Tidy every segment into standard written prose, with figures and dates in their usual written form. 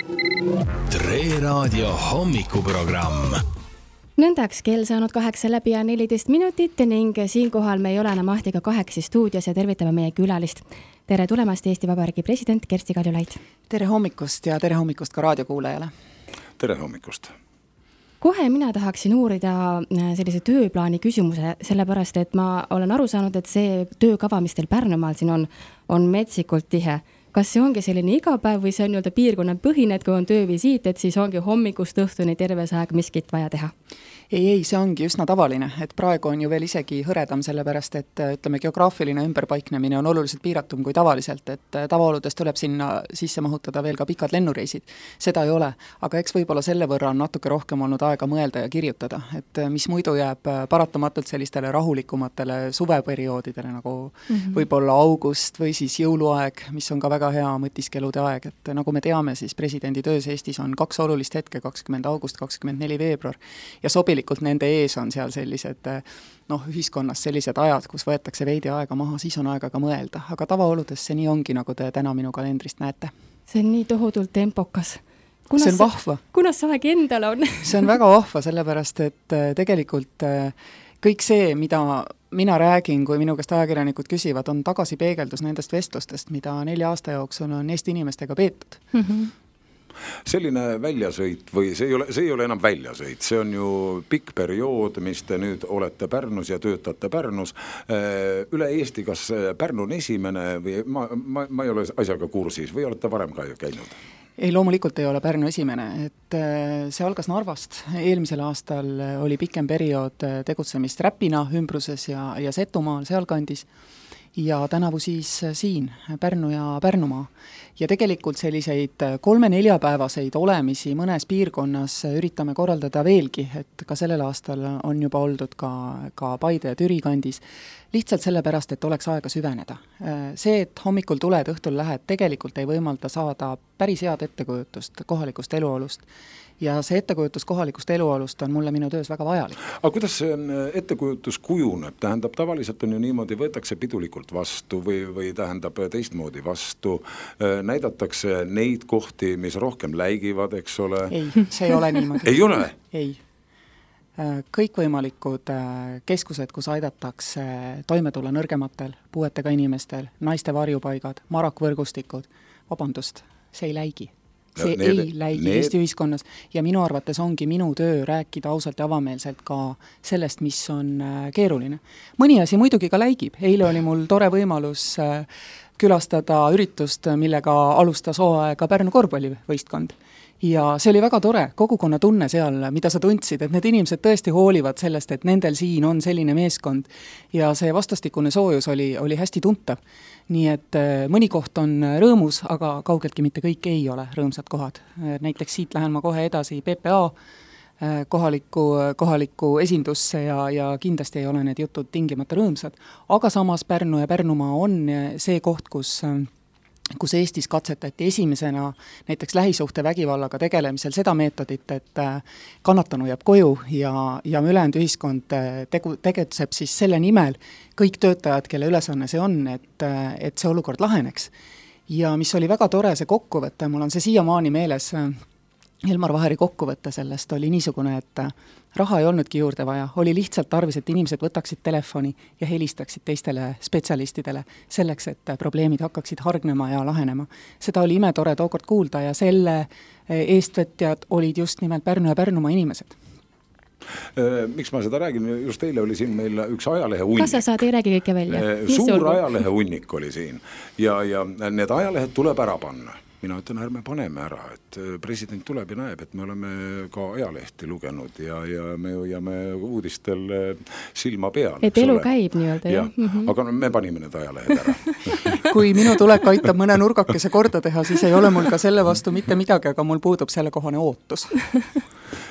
Tre Raadio hommikuprogramm. Nõndaks kell saanud 8 läbi ja 14 minutit ning siinkohal me ei ole enam Ahtiga 8 stuudios ja tervitame meie külalist. Tere tulemast Eesti Vabariigi president Kersti Kaljulaid. Tere hommikust ja tere hommikust ka raadiokuulajale. Tere hommikust. Kohe mina tahaksin uurida sellise tööplaani küsimuse, sellepärast et ma olen aru saanud, et see töökava, mis teil Pärnumaal siin on metsikult tihe. Kas see ongi selline igapäev või see on piirkonna põhine, et kui on töövisiit, et siis ongi hommikust õhtuni terves aeg miskit vaja teha? Ei, see ongi üsna tavaline, et praegu on ju veel isegi hõredam, sellepärast et ütleme, geograafiline ümberpaiknemine on oluliselt piiratum kui tavaliselt, et tavaoludes tuleb sinna sisse mahutada veel ka pikad lennureisid. Seda ei ole, aga eks võib-olla selle võrra on natuke rohkem olnud aega mõelda ja kirjutada, et mis muidu jääb paratamatult sellistele rahulikumatele suveperioodidele, nagu võib-olla august või siis jõuluaeg, mis on ka väga hea mõtiskelude aeg, et nagu me teame, siis presidendi töös Eestis on 2 olulist hetke, 20. august, 24. veebruar ja sobilikult nende ees on seal sellised ühiskonnas sellised ajad, kus võetakse veidi aega maha, siis on aega ka mõelda, aga tavaoludes see nii ongi, nagu te täna minu kalendrist näete. See on nii tohutult tempokas. See on vahva. Kunas see aeg endale on? See on väga vahva, sellepärast et tegelikult kõik see, mida mina räägin, kui minu käest ajakirjanikud küsivad, on tagasipeegeldus nendest vestlustest, mida 4 aasta jooksul on Eesti inimestega peetud. Selline väljasõit või see ei ole enam väljasõit, see on ju pikk periood, mis te nüüd olete Pärnus ja töötate Pärnus. Üle Eesti, kas Pärnu on esimene või ma ei ole asjaga kursis või olete varem ka käinud? Ei, loomulikult ei ole Pärnu esimene, et see algas Narvast. Eelmisel aastal oli pikem periood tegutsemist Räpina ümbruses ja Setumaal sealkandis ja tänavu siis siin Pärnu ja Pärnumaa. Ja tegelikult selliseid 3-4 päevaseid olemisi mõnes piirkonnas üritame korraldada veelgi, et ka sellel aastal on juba oldud ka Paide ja Türi kandis, lihtsalt sellepärast, et oleks aega süveneda. See, et hommikul tuled, õhtul lähed, tegelikult ei võimalda saada päris head ettekujutust kohalikust eluolust. Ja see ettekujutus kohalikust eluolust on mulle minu töös väga vajalik. Aga kuidas see ettekujutus kujuneb? Tähendab, tavaliselt on ju niimoodi, võetakse pidulikult vastu või tähendab teistmoodi vastu, näidatakse neid kohti, mis rohkem läigivad, eks ole? Ei, see ei ole niimoodi. Ei ole? Ei. Kõikvõimalikud keskused, kus aidatakse toime tulla nõrgematel, puuetega inimestel, naiste varjupaigad, marakvõrgustikud, vabandust, see ei läigi. See ei läigi Eesti ühiskonnas ja minu arvates ongi minu töö rääkida ausalt ja avameelselt ka sellest, mis on keeruline. Mõni asi muidugi ka läigib. Eile oli mul tore võimalus külastada üritust, millega alustas hooaega Pärnu korvpallivõistkond. Ja see oli väga tore, kogukonna tunne seal, mida sa tundsid, et need inimesed tõesti hoolivad sellest, et nendel siin on selline meeskond ja see vastastikune soojus oli hästi tuntav. Nii et mõni koht on rõõmus, aga kaugeltki mitte kõik ei ole rõõmsad kohad. Näiteks siit lähen ma kohe edasi PPA kohalikku esindusse ja kindlasti ei ole need jutud tingimata rõõmsad. Aga samas Pärnu ja Pärnumaa on see koht, kus Eestis katsetati esimesena näiteks lähisuhte vägivallaga tegelemisel seda meetodit, et kannatanu jääb koju ja ülejäänud ühiskond tegutseb siis selle nimel kõik töötajad, kelle ülesanne see on, et see olukord laheneks. Ja mis oli väga tore see kokkuvõte, mul on see siiamaani meeles, Elmar Vaheri kokkuvõte sellest oli niisugune, et raha ei olnudki juurde vaja, oli lihtsalt tarvis, et inimesed võtaksid telefoni ja helistaksid teistele spetsialistidele selleks, et probleemid hakkaksid hargnema ja lahenema. Seda oli imetore tookord kuulda ja selle eestvõtjad olid just nimelt Pärnu ja Pärnumaa inimesed. Miks ma seda räägin? Just eile oli siin meil üks ajalehe hunnik. Kas sa saad, ei räägi kõike välja? Suur ajalehe hunnik oli siin ja need ajalehed tuleb ära panna. Mina ütlen, ärme paneme ära, et president tuleb ja näeb, et me oleme ka ajalehti lugenud ja me hoiame uudistel silma peal. Et elu käib nii-öelda, jah? Aga me panime need ajalehed ära. Kui minu tulek aitab mõne nurgakese korda teha, siis ei ole mul ka selle vastu mitte midagi, aga mul puudub selle kohane ootus.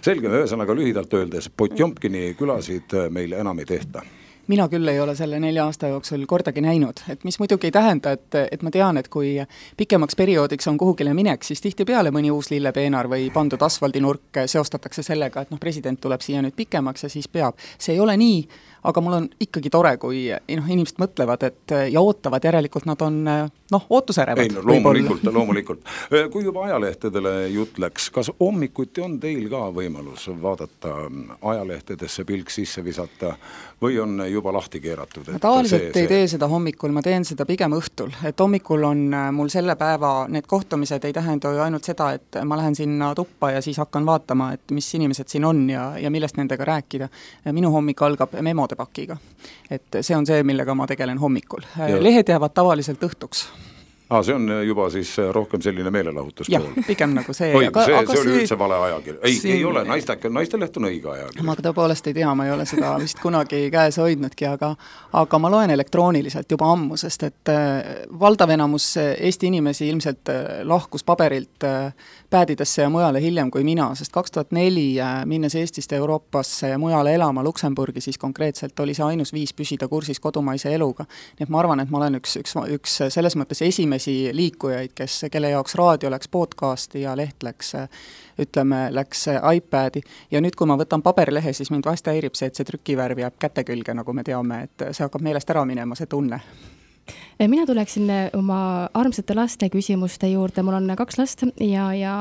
Selge, ühesõnaga lühidalt öeldes, Potjomkini külasid meil enam ei tehta. Mina küll ei ole selle 4 aasta jooksul kordagi näinud, et mis muidugi ei tähenda, et ma tean, et kui pikemaks perioodiks on kuhugile minek, siis tihtipeale mõni uus lillepeenar või pandud asfaldinurk seostatakse sellega, et president tuleb siia nüüd pikemaks ja siis peab. See ei ole nii, aga mul on ikkagi tore, kui inimesed mõtlevad, et ja ootavad, järelikult nad on ootusärevad. Ei, loomulikult. Kui juba ajalehtedele jutt läks, kas hommikuti on teil ka võimalus vaadata ajalehtedesse pilk sisse visata või on juba lahti keeratud? Tavaliselt ei tee seda hommikul, ma teen seda pigem õhtul, et hommikul on mul selle päeva need kohtumised ei tähenda ju ainult seda, et ma lähen sinna tuppa ja siis hakkan vaatama, et mis inimesed siin on ja millest nendega rääkida. Minu hommik algab memode pakiga. Et see on see, millega ma tegelen hommikul. Lehed jäävad tavaliselt õhtuks. See on juba siis rohkem selline meelelahutus pool. Jah, pigem nagu see. see oli üldse vale ajakiri. Ei ole, naisteleht on õige ajakiri. Ma tõepoolest ei tea, ma ei ole seda vist kunagi käes hoidnudki, aga ma loen elektrooniliselt juba ammu, sest et valdav enamus Eesti inimesi ilmselt lahkus paberilt päädidesse ja mujale hiljem kui mina, sest 2004 minnes Eestist Euroopasse ja mujale elama Luksemburgi, siis konkreetselt oli see ainus viis püsida kursis kodumaise eluga. Nii et ma arvan, et ma olen üks selles mõttes esimesi liikujaid, kelle jaoks raadio läks podcasti ja leht läks iPadi. Ja nüüd, kui ma võtan paberlehe, siis mind vast häirib see, et see trükivärv jääb käte külge, nagu me teame, et see hakkab meelest ära minema, see tunne. Mina tuleksin oma armsate laste küsimuste juurde, mul on 2 last ja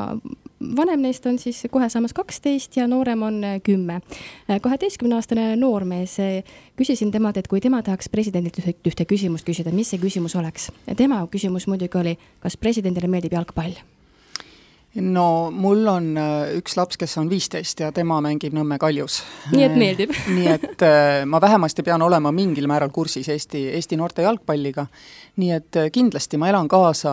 vanem neist on siis kohe saamas 12 ja noorem on 10. 12-aastane noormees, küsisin temalt, et kui tema tahaks presidendilt ühte küsimust küsida, mis see küsimus oleks? Tema küsimus muidugi oli, kas presidendile meeldib jalgpall? No mul on üks laps, kes on 15 ja tema mängib Nõmme Kaljus. Nii et meeldib. Nii et ma vähemasti pean olema mingil määral kursis Eesti noorte jalgpalliga. Nii et kindlasti ma elan kaasa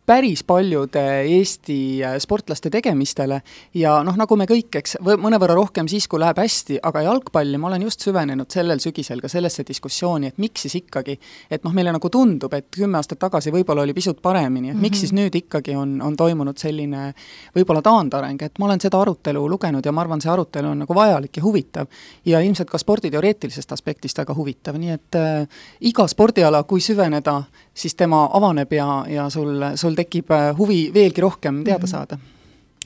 päris paljude Eesti sportlaste tegemistele ja nagu me kõik, eks, mõnevõrra rohkem siis, kui läheb hästi, aga jalgpalli ma olen just süvenenud sellel sügisel ka sellesse diskussiooni, et miks siis ikkagi, et meile nagu tundub, et 10 aastat tagasi võib-olla oli pisut paremini, et miks siis nüüd ikkagi on toimunud selline võib-olla taandareng, et ma olen seda arutelu lugenud ja ma arvan, see arutelu on nagu vajalik ja huvitav ja ilmselt ka sporditeoreetilisest aspektist väga huvitav, nii et iga spordiala, kui süveneda, siis tema avaneb ja sul tekib huvi veelgi rohkem teada saada.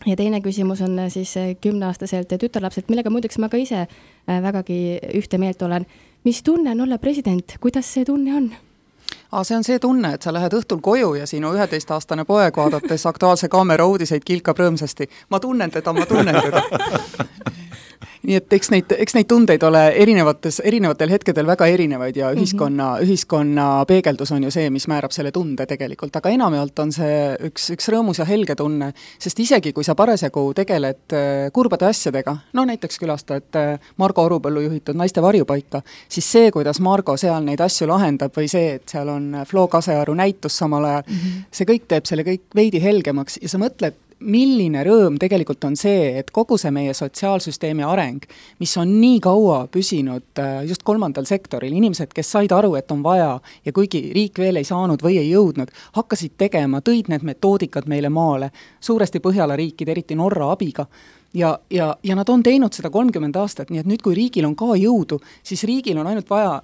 Ja teine küsimus on siis 10-aastaselt tütarlapselt, millega muideks ma ka ise vägagi ühte meelt olen. Mis tunne on olla president? Kuidas see tunne on? See on see tunne, et sa lähed õhtul koju ja sinu 11-aastane poeg vaadates Aktuaalse kaamera uudiseid kilkab rõõmsasti. Ma tunnen teda. Nii et eks neid tundeid ole erinevatel hetkedel väga erinevaid ja ühiskonna peegeldus on ju see, mis määrab selle tunde tegelikult, aga enamjaolt on see üks rõõmus ja helge tunne, sest isegi kui sa parasjagu tegeled kurbade asjadega, näiteks külastad Margo Orupõllu juhitud naiste varjupaika, siis see, kuidas Margo seal neid asju lahendab või see, et seal on Flo Kasearu näitus samal ajal, see kõik teeb selle kõik veidi helgemaks ja sa mõtled, milline rõõm tegelikult on see, et kogu see meie sotsiaalsüsteemi areng, mis on nii kaua püsinud just 3. sektoril, inimesed, kes said aru, et on vaja ja kuigi riik veel ei saanud või ei jõudnud, hakkasid tegema, tõid need metoodikad meile maale, suuresti Põhjala riikide, eriti Norra abiga ja nad on teinud seda 30 aastat, nii et nüüd, kui riigil on ka jõudu, siis riigil on ainult vaja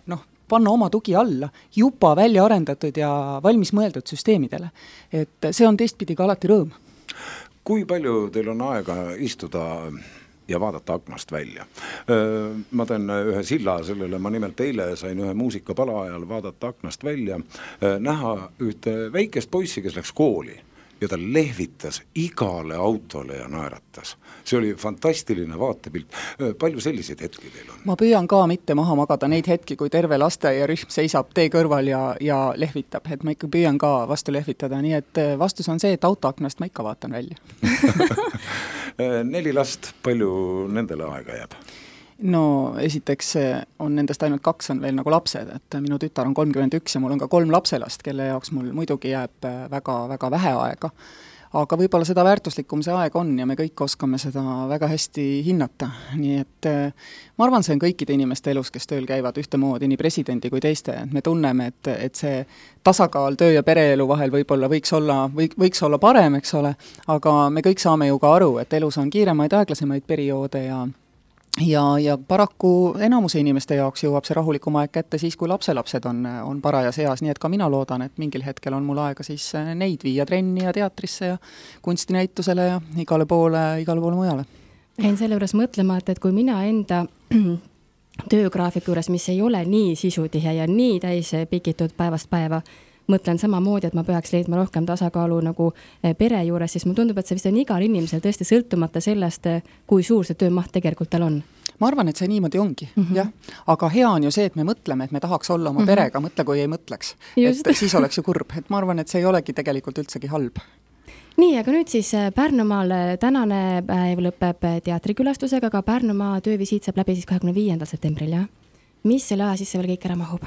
panna oma tugi alla juba välja arendatud ja valmis mõeldud süsteemidele. Et see on teistpidi ka alati rõõm. Kui palju teil on aega istuda ja vaadata aknast välja? Ma teen ühe silla sellele, ma nimelt eile sain ühe muusikapala ajal vaadata aknast välja, näha ühte väikest poissi, kes läks kooli ja ta lehvitas igale autole ja naeratas. See oli fantastiline vaatepilt. Palju selliseid hetki teil on? Ma püüan ka mitte maha magada neid hetki, kui terve lasteaiarühm seisab tee kõrval ja lehvitab, et ma ikka püüan ka vastu lehvitada, nii et vastus on see, et autoaknast ma ikka vaatan välja. 4 last, palju nendele aega jääb? Esiteks on nendest ainult 2 on veel nagu lapsed, et minu tütar on 31 ja mul on ka 3 lapselast, kelle jaoks mul muidugi jääb väga vähe aega. Aga võib-olla seda väärtuslikum see aeg on ja me kõik oskame seda väga hästi hinnata. Nii et ma arvan, see on kõikide inimeste elus, kes tööl käivad ühtemoodi, nii presidendi kui teiste. Me tunneme, et see tasakaal töö ja pereelu vahel võib-olla võiks olla parem, eks ole, aga me kõik saame ju ka aru, et elus on kiiremaid aeglasemaid perioode ja paraku enamuse inimeste jaoks jõuab see rahulikum aeg kätte siis, kui lapselapsed on parajas eas, nii et ka mina loodan, et mingil hetkel on mul aega siis neid viia trenni ja teatrisse ja kunstinäitusele ja igale poole mujale. Jäin selle juures mõtlema, et kui mina enda töögraafiku juures, mis ei ole nii sisutihe ja nii täis pikitud päevast päeva, mõtlen samamoodi, et ma peaks leidma rohkem tasakaalu nagu pere juures, siis mul tundub, et see vist on igal inimesel tõesti sõltumata sellest, kui suur see töömaht tegelikult tal on. Ma arvan, et see niimoodi ongi, jah. Aga hea on ju see, et me mõtleme, et me tahaks olla oma perega, mõtle, kui ei mõtleks. Just. Et siis oleks ju kurb. Et ma arvan, et see ei olegi tegelikult üldsegi halb. Nii, aga nüüd siis Pärnumaal tänane päev lõpeb teatrikülastusega, aga Pärnumaa töövisiit saab läbi siis 25. septembril, jah? Mis selle aja sisse veel kõik ära mahub?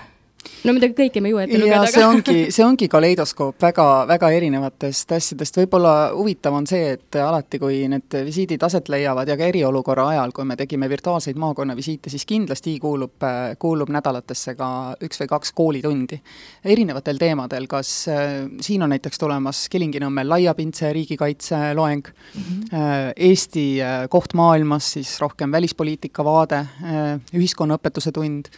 No midagi kõike me ju ette lugeda. Ja see ongi kaleidoskoop väga erinevatest asjadest. Võib-olla huvitav on see, et alati, kui need visiidid aset leiavad ja ka eriolukorra ajal, kui me tegime virtuaalseid maakonnavisiite, siis kindlasti kuulub nädalatesse ka 1 või 2 koolitundi erinevatel teemadel. Kas siin on näiteks tulemas Kilingi-Nõmmel laiapindse riigikaitse loeng, Eesti koht maailmas, siis rohkem välispoliitika vaade, ühiskonnaõpetuse tund.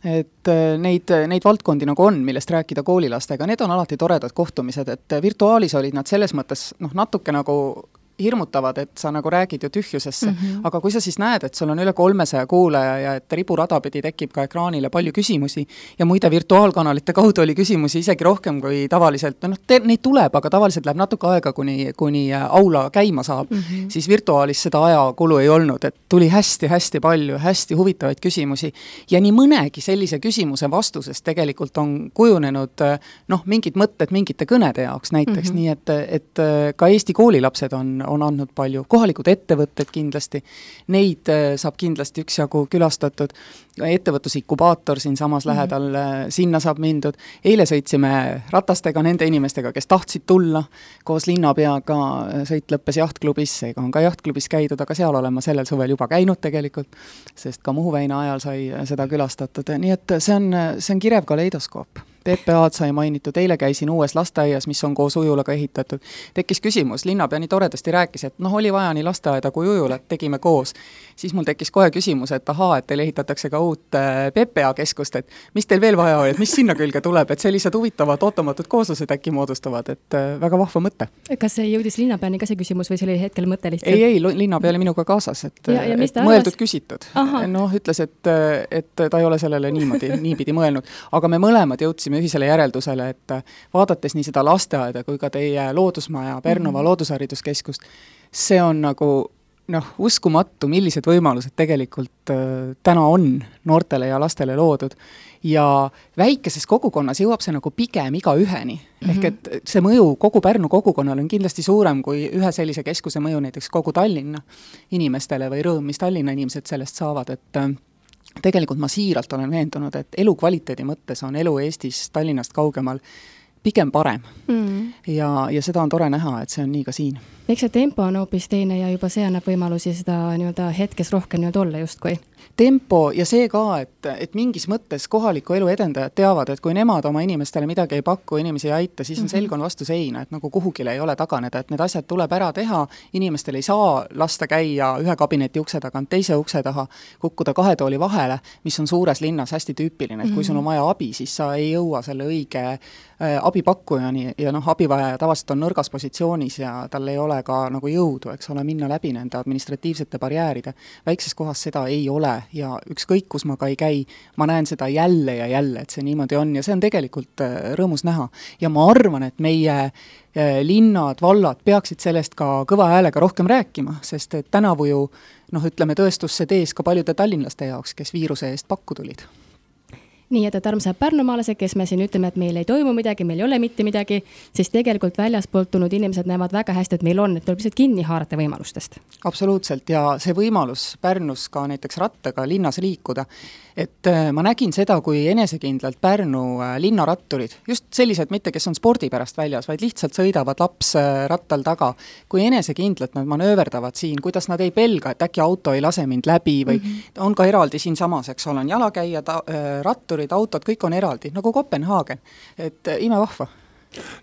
Et neid valdkondi nagu on, millest rääkida koolilastega, need on alati toredad kohtumised, et virtuaalis olid nad selles mõttes natuke nagu hirmutavad, et sa nagu räägid ju tühjusesse, aga kui sa siis näed, et sul on üle 300 kuulaja ja et riburada pidi tekib ka ekraanile palju küsimusi ja muide virtuaalkanalite kaudu oli küsimusi isegi rohkem kui tavaliselt, neid tuleb, aga tavaliselt läheb natuke aega, kuni aula käima saab, siis virtuaalis seda ajakulu ei olnud, et tuli hästi palju, hästi huvitavaid küsimusi ja nii mõnegi sellise küsimuse vastusest tegelikult on kujunenud mingid mõtted mingite kõnede jaoks näiteks, nii et ka Eesti koolilapsed on andnud palju, kohalikud ettevõtted kindlasti, neid saab kindlasti üksjagu külastatud, ettevõtlusikubaator siin samas lähedal, sinna saab mindud, eile sõitsime ratastega nende inimestega, kes tahtsid tulla, koos linnapeaga sõit lõppes jahtklubis, seega on ka jahtklubis käidud, aga seal olen ma sellel suvel juba käinud tegelikult, sest ka Muhu väina ajal sai seda külastatud, nii et see on kirev kaleidoskoop. PPA-d sai mainitud, eile käisin uues lasteaias, mis on koos ujulaga ehitatud. Tekkis küsimus, linnapea nii toredasti rääkis, et oli vaja nii lasteaeda kui ujulat, tegime koos. Siis mul tekkis kohe küsimus, et et teil ehitatakse ka uut PPA keskust, et mis teil veel vaja oli, et mis sinna külge tuleb, et sellised huvitavad ootomatud kooslused äkki moodustavad, et väga vahva mõte. Kas see jõudis linnapeani ka see küsimus või see oli hetkel mõte lihtsalt? Ei, linnapea oli minuga kaasas, et mõeldud küsitud. Ütles, et ta ei ole sellele niipidi mõelnud, aga me mõlemad jõudsime ühisele järeldusele, et vaadates nii seda lasteaeda kui ka teie loodusmaja Pärnumaa loodushariduskeskust, see on nagu uskumatu, millised võimalused tegelikult täna on noortele ja lastele loodud ja väikeses kogukonnas jõuab see nagu pigem igaüheni. Ehk et see mõju kogu Pärnu kogukonnal on kindlasti suurem kui ühe sellise keskuse mõju näiteks kogu Tallinna inimestele või rõõm, mis Tallinna inimesed sellest saavad, et tegelikult ma siiralt olen veendunud, et elukvaliteedi mõttes on elu Eestis Tallinnast kaugemal pigem parem. Ja seda on tore näha, et see on nii ka siin. Eks see tempo on hoopis teine ja juba see annab võimalusi seda hetkes rohkem olla justkui. Tempo ja see ka, et mingis mõttes kohaliku elu edendajad teavad, et kui nemad oma inimestele midagi ei paku, inimesi ei aita, siis on selg on vastu seina, et nagu kuhugile ei ole taganeda, et need asjad tuleb ära teha, inimestel ei saa lasta käia ühe kabineti ukse tagant, teise ukse taha, kukkuda 2 tooli vahele, mis on suures linnas hästi tüüpiline, et kui sul on vaja abi, siis sa ei jõua selle õige abipakkujani ja abivajaja tavaliselt on nõrgas positsioonis ja tal ei ole ka nagu jõudu, eks ole, minna läbi nende administratiivsete barjääride. Väikses kohas seda ei ole ja ükskõik, kus ma ka ei käi, ma näen seda jälle ja jälle, et see niimoodi on ja see on tegelikult rõõmus näha. Ja ma arvan, et meie linnad, vallad peaksid sellest ka kõva häälega rohkem rääkima, sest et tänavu ju, ütleme tõestusse tees ka paljude tallinlaste jaoks, kes viiruse eest pakku tulid. Nii, et armsad pärnumaalased, kes me siin ütleme, et meil ei toimu midagi, meil ei ole mitte midagi, siis tegelikult väljaspoolt tulnud inimesed näevad väga hästi, et meil on, et tuleb lihtsalt kinni haarata võimalustest. Absoluutselt ja see võimalus Pärnus ka näiteks rattaga linnas liikuda, et ma nägin seda, kui enesekindlalt Pärnu linnaratturid, just sellised mitte, kes on spordi pärast väljas, vaid lihtsalt sõidavad laps rattal taga, kui enesekindlalt nad manööverdavad siin, kuidas nad ei pelga, et äkki auto ei lase mind läbi või on ka eraldi siin samas, eks ole, on jalakäijad, ratturid, autod, kõik on eraldi, nagu Kopenhaagen, et imevahva.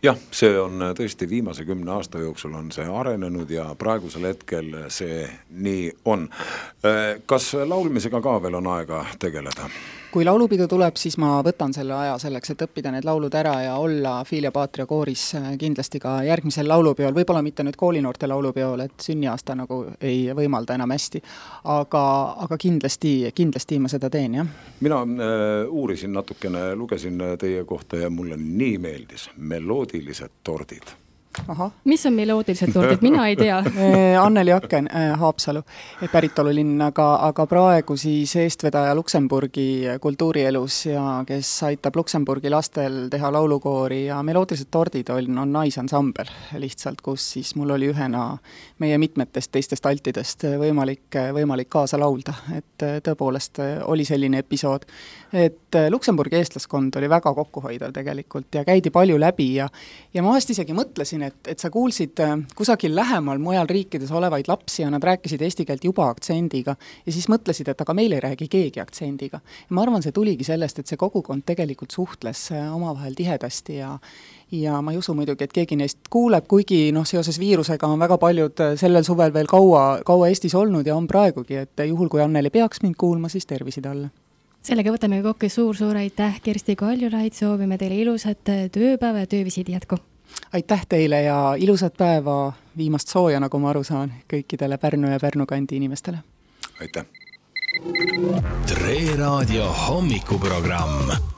Jah, see on tõesti viimase 10 aasta jooksul on see arenenud ja praegusel hetkel see nii on. Kas laulmisega ka veel on aega tegeleda? kui laulupidu tuleb, siis ma võtan selle aja selleks, et õppida need laulud ära ja olla Filia Patria kooris kindlasti ka järgmisel laulupeol, võib-olla mitte nüüd koolinoorte laulupeol, et sünniaasta nagu ei võimalda enam hästi, aga kindlasti ma seda teen, jah. Mina uurisin natukene, lugesin teie kohta ja mulle nii meeldis meloodilised tordid. Aha. Mis on meloodilised tordid? Mina ei tea. Anneli Aken, Haapsalu päritolulinn, aga praegu siis eestvedaja Luksemburgi kultuurielus ja kes aitab Luksemburgi lastel teha laulukoori ja meloodilised tordid on naisansambel lihtsalt, kus siis mul oli ühena meie mitmetest teistest altidest võimalik kaasa laulda, et tõepoolest oli selline episood, et Luksemburgi eestlaskond oli väga kokkuhoidav tegelikult ja käidi palju läbi ja ma vahest isegi mõtlesin, et sa kuulsid kusagil lähemal mujal riikides olevaid lapsi ja nad rääkisid eesti keelt juba aktsendiga ja siis mõtlesid, et aga meil ei räägi keegi aktsendiga. Ja ma arvan, see tuligi sellest, et see kogukond tegelikult suhtles omavahel tihedasti ja ma ei usu muidugi, et keegi neist kuuleb, kuigi seoses viirusega on väga paljud sellel suvel veel kaua Eestis olnud ja on praegugi, et juhul kui Anneli peaks mind kuulma, siis tervisi talle. Sellega võtame kokku suur aitäh, Kersti Kaljulaid, soovime teile ilusat tööpäeva ja töövisiidi jätku. Aitäh teile ja ilusat päeva, viimast sooja, nagu ma aru saan, kõikidele Pärnu ja Pärnu kandi inimestele. Aitäh! Tre Raadio hommikuprogramm.